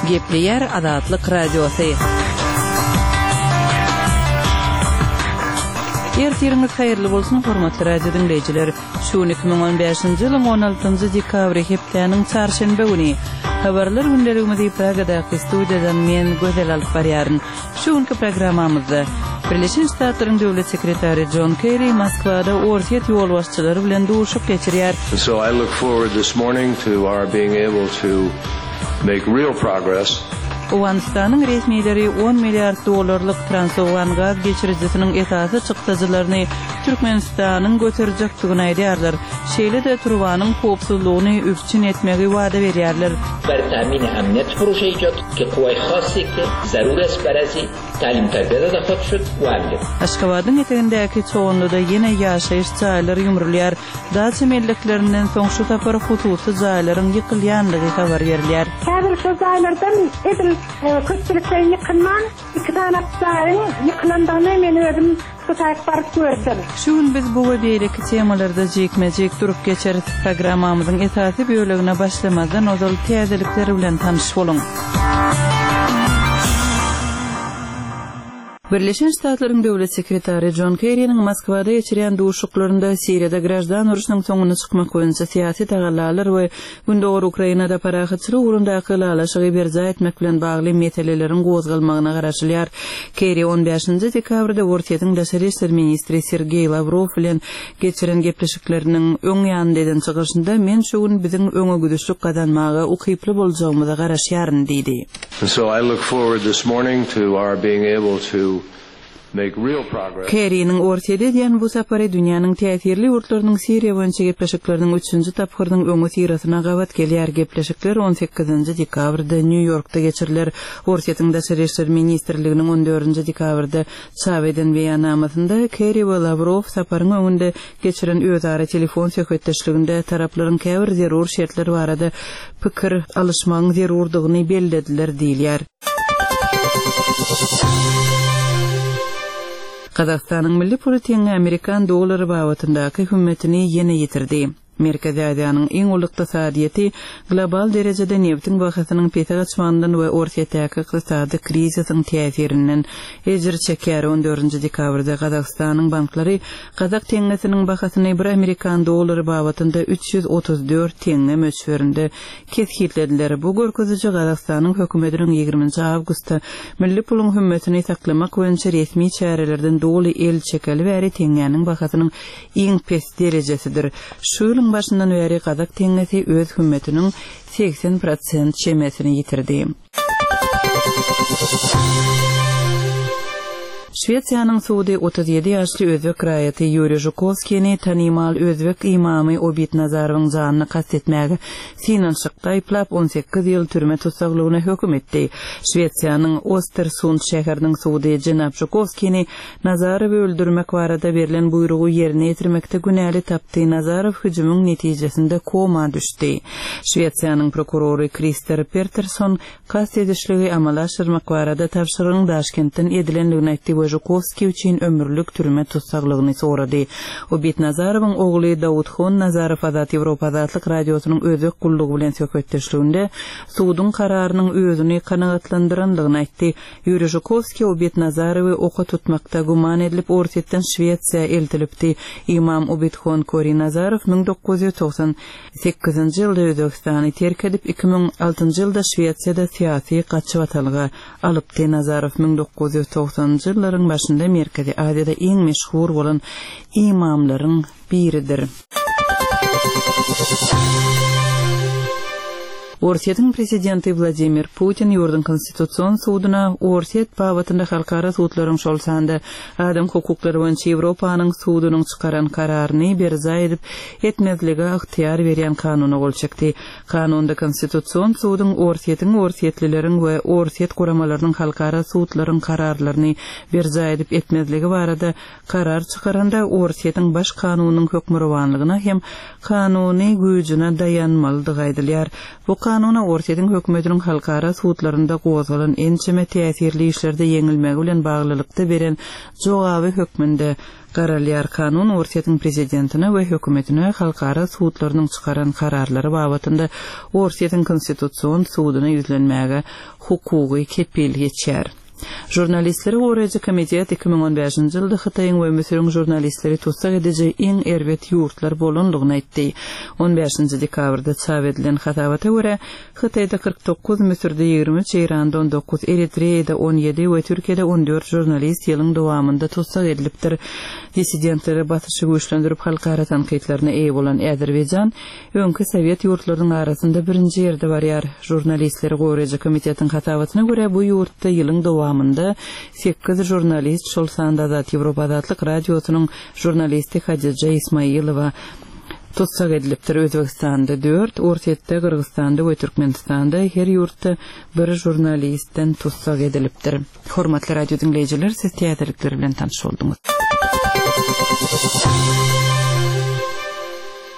Gepleýär Azatlyk Radiosy. Ertiriňiz haýyrly bolsun, hormatly radio diňleýjiler. Şu gün 2015-nji ýylyň 16-njy dekabry hepdäniň çarşenbe güni. Habarlar gündeligimizi Pragadaky studiýadan men Gözel alyp barýaryn. Şu günki programmamyzda Birleşen Ştatlaryň Döwlet sekretary Jon Kerri Moskwada Orsýet ýolbaşçylary bilen duşuşyk geçirýär. So I look forward this morning to our being able to make real progress. Owganystanyň resmileri on milliard dollarlyk Transowgan gaz geçirijisiniň esasy çykdajylaryny Türkmenistanyň göterjekdigini aýdýarlar. Şeýle-de turbanyň howpsuzlygyny üpjün etmegi wada berýärler. بر تامین امنیت پروژه ایجاد که قوای خاصی که ضرور است برازی تعلیم تربیه داده خواهد شد و امنیت. Aşgabadyň etegindäki Çoganlyda ýene ýaşaýyş jaýlary ýumrulýar. Daça melleklerinden soň şu sapar hususy jaýlaryň ýykylýandygy habar berilýär. Häzir şol jaýlardan edil köpçülikleýin ýykylman, iki sany jaýyň ýykylandygyny men özüm şu taýyk baryp gördüm. Şu gün biz bu we beýleki temalarda jikme-jik durup geçeris. Programmamyzyň esasy bölegine başlamazdan ozal täzelikler bilen tanyş boluň. Birleşen Ştatlaryň Döwlet sekretary Jon Kerriniň Moskwada geçirýän duşuşyklarynda Siriýada graždan urşunyň soňuna çykmak boýunça syýasy tagallalar we Gündogar Ukrainada parahatçylyk ugrundaky ylalaşygy berjaý etmek bilen bagly meseleleriň gozgalmagyna garaşylýar. Kerri on bäşinji dekabrda Orsýetiň daşary işler ministri Sergeý Lawrow bilen geçiren gepleşikleriniň öň ýanynda eden çykyşynda Men şu gün biziň öňegidişlik gazanmaga ukyply boljagymyza garaşýaryn diýdi. And so I look forward this morning to our being able to make real progress. Kerriniň Orsýete edýän bu sapary dünýäniň täsirli ýurtlarynyň Siriýa boýunça gepleşikleriniň üçünji tapgyrynyň öňüsyrasyna gabat gelýär. Gepleşikler on sekizinji dekabrda Nýu-Ýorkda geçiriler. Orsýetiň Daşary işler ministrliginiň on dördünji dekabrda çap eden beýannamasynda Kerri we Lawrow saparyň öňünde geçiren özara telefon söhbetdeşliginde taraplaryň käbir zerur şertler barada pikir alyşmagyň zerurdygyny bellediler diýilýär. Gazagystanyň milli puly teňňe amerikan dollary babatyndaky hümmetini ýene ýitirdi. Merkezi Aziýanyň iň uly ykdysadyýeti global derejede nebitiň bahasynyň pese gaçmagyndan we Orsýetdäki ykdysady krizisiň täsirinden ejir çekýär. On dördünji dekabrda Gazagystanyň banklary gazak teňňesiniň bahasyny bir amerikan dollary babatynda 334 teňňe möçberinde kesgitlediler. Bu görkeziji Gazagystanyň hökümetiniň ýigriminji awgustda milli puluň hümmetini saklamak boýunça resmi çärelerden doly el çekeli bäri teňňäniň bahasynyň iň pes derejesidir. Şu ýylyň başyndan bäri gazak teňňesi öz hümmetiniň 80 prosent çemesini ýitirdi. Şwesiýanyň sudy 37 ýaşly özbek raýaty Ýuriý Žukowskini tanymal özbek ymamy Obid Nazarowyň janyna kast etmäge synanyşykda aýyplap, 18 ýyl türme tussaglygyna höküm etdi. Şwesiýanyň Ostersund şäheriniň sudy jenap Žukowskini Nazarowy öldürmek barada berlen buýrugy ýerine ýetirmekde günäli tapdy. Nazarow hüjümiň netijesinde koma düşdi. Şwesiýanyň prokurory Krister Peterson kast edişligi amala aşyrmak barada tabşyrygyň Daşkentden edilendigini aýtdy we Žukowskiý üçin ömürlik türme tussaglygyny sorady. Obid Nazarowyň ogly Daudhon Nazarow Azat Ýewropa Azatlyk Radiosynyň Özbek gullugy bilen söhbetdeşliginde suduň kararynyň özüni kanagatlandyrandygyny aýtdy. Ýuriý Žukowskiý Obid Nazarowy oka tutmakda güman edilip Orsýetden Şwesiýa eltilipdi. Ymam Obidhon Kori Nazarow 1998-nji ýylda Özbegistany terk edip, 2006-njy ýylda Şwesiýada syýasy gaçybatalga alypdy. Nazarow 1990-njy ýyllaryň başynda Merkezi Aziýada iň meşhur bolan ymamlaryň biridir. Orsýetiň prezidenti Wladimir Putin ýurduň Konstitusion suduna Orsýet babatynda halkara sudlaryň, şol sanda adam hukuklary boýunça Ýewropanyň sudunyň çykaran kararyny berjaý edip etmezlige ygtyýar berýän kanuna gol çekdi. Kanunda Konstitusion suduň Orsýetiň, orsýetlileriň we orsýet guramalarynyň halkara sudlaryň kararlaryny berjaý edip etmezligi barada Karar çykaranda Orsýetiň Baş kanunynyň hökmürowanlygyna hem kanuny güýjüne daýanmalydygy aýdylýar. Bu. kanuna Orsýetiň hökümetiniň halkara sudlarynda gozgalan ençeme täsirli işlerde ýeňilmegi bilen baglylykda beren jogaby hökmünde garalýar. Kanun Orsýetiň prezidentine we hökümetine halkara sudlarynyň çykaran kararlary babatynda Orsýetiň Konstitusion suduna ýüzlenmäge hukugy kepil geçýär. Žurnalistleri goraýjy komitet 2015-nji ýylda Hytaýyň we Müsüriň žurnalistleri tussag ediji iň erbet ýurtlar bolandygyny aýtdy. On bäşinji dekabrda çap edilen hasabata görä, Hytaýda 49, Müsürde 23, Eýranda 19, Eritreýada 17 we Türkiýede 14 žurnalist ýylyň dowamynda tussag edilipdir. Dissidentlere basyşy güýçlendirip halkara tankytlaryna eýe bolan Azerbaýjan öňki sowet ýurtlarynyň arasynda birinji ýerde barýar. Žurnalistleri goraýjy komitetiň hasabatyna görä, bu ýurtda ýylyň dowamynda sekiz žurnalist, şol sanda Azat Ýewropa Azatlyk Radiosynyň žurnalisti Hadija Ismailowa tussag edilipdir. Özbegistanda dört, Orsýetde, Gyrgyzystanda we Türkmenistanda her ýurtda bir žurnalistden tussag edilipdir. Hormatly radio diňleýjiler, siz täzelikler bilen tanyş bolduňyz.